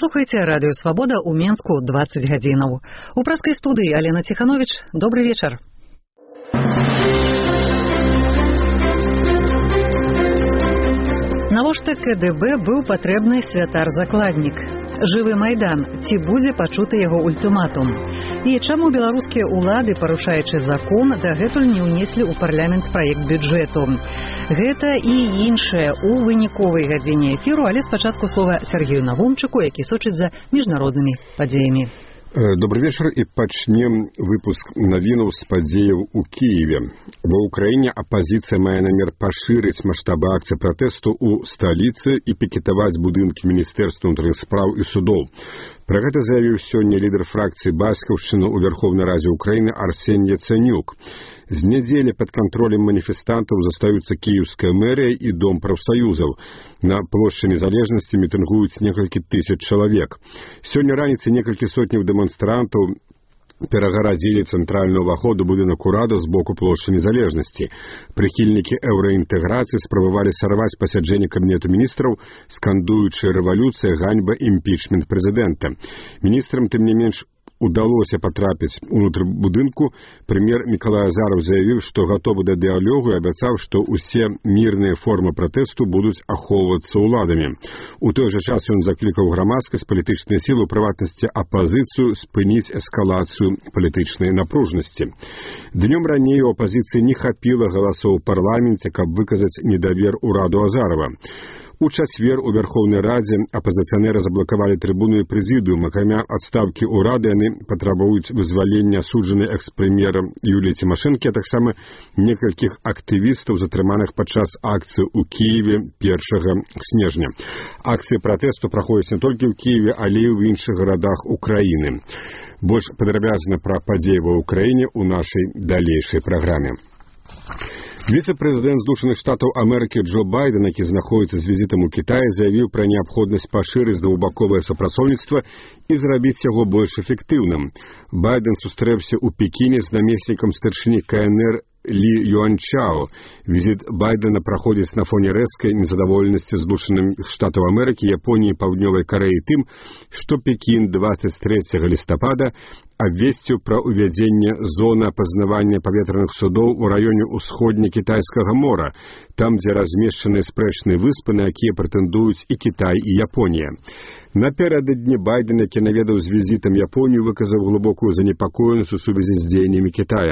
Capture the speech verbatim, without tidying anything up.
Слухайте радио «Свобода» у Менску двадцать гадзінаў. У праскай студыі Алена Тиханович. Добрый вечер. Навошта КДБ быў патрэбны святар-закладнік? Жывы Майдан, ці будзе пачуты яго ультыматум? І чаму беларускія ўлады, парушаючы закон, дагэтуль не ўнеслі ў парламент праект бюджэту? Гэта і іншае ў выніковай гадзіне эфіру, але спачатку слова Сергею Навумчыку, які сочыць за міжнароднымі падзеямі. Добрый вечер, і пачнем выпуск навінаў з падзеяў у Киеве. Ва Украіне апазіцыя мае намер пашырыць маштабы акцыі пратэсту ў сталіцы і пікетаваць будынкі Міністэрства ўнутраных спраў і судоў. Пра гэта заявіў сёння лідар фракцыі Бацькаўшчыны ў Верховнай Радзе Украіны Арсень Яцэнюк. З нядзелі пад кантролем маніфестантаў застаюцца кіеўская мэрыя і дом прафсаюзаў. На плошчы Незалежнасці мітынгуюць некалькі тысяч чалавек. Сёння раніцай некалькі сотняў дэманстрантаў перагарадзілі цэнтральны ўваход у будынак урада з боку плошчы Незалежнасці. Прыхільнікі еўраінтэграцыі спрабавалі сарваць пасяджэнне кабінету міністраў, скандуючы рэвалюцыя, ганьба, імпічмент прэзідэнта. Міністрам, тым не менш, удалося патрапіць унутр будынку. Прэм'ер Мікалай Азараў заявіў, што гатовы да дыялогу і абяцаў, што ўсе мірныя формы пратэсту будуць ахоўвацца ўладамі. У той жа час ён заклікаў грамадскасць, палітычныя сілы, у прыватнасці апазіцыю, спыніць эскалацыю палітычнай напружнасці. Днём раней у апазіцыі не хапіла галасоў у парламенце, каб выказаць недавер ураду Азарова. У чацвер у Верховнай Радзе апазіцыянеры заблакавалі трыбуну і прэзідыум. Акрамя адстаўкі ўрада, яны патрабуюць вызвалення асуджанай экс-прэм'ера Юліі Цімашэнкі, а таксама некалькіх актывістаў, затрыманых падчас акцыі ў Кіеве першага снежня. Акцыі пратэсту праходзяць не толькі ў Кіеве, але і ў іншых гарадах Украіны. Больш падрабязна пра падзеі ва Ўкраіне ў нашай далейшай праграме. Віцэ-прэзідэнт Злучаных Штатаў Амерыкі Джо Байден, які знаходзіцца з візітам у Кітаі, заявіў пра неабходнасць пашырыць двухбаковае супрацоўніцтва і зрабіць яго больш эфектыўным. Байден сустрэўся ў Пекіне з намеснікам старшыні КНР Лі Юанчао. Візіт Байдена праходзіць на фоне рэзкай незадаволенасці Злучаных Штатаў Амерыкі, Японіі і Паўднёвай Карэі тым, што Пекін дваццаць трэцяга лістапада абвесціў пра ўвядзенне зоны апазнавання паветраных судоў у раёне ўсходне-кітайскага мора, там, дзе размешчаныя спрэчныя выспы, на якія прэтэндуюць і Кітай, і Японія. Напярэдадні Байден, які наведаў з візітам Японію, выказаў глыбокую занепакоенасць у сувязі з дзеяннямі Кітая.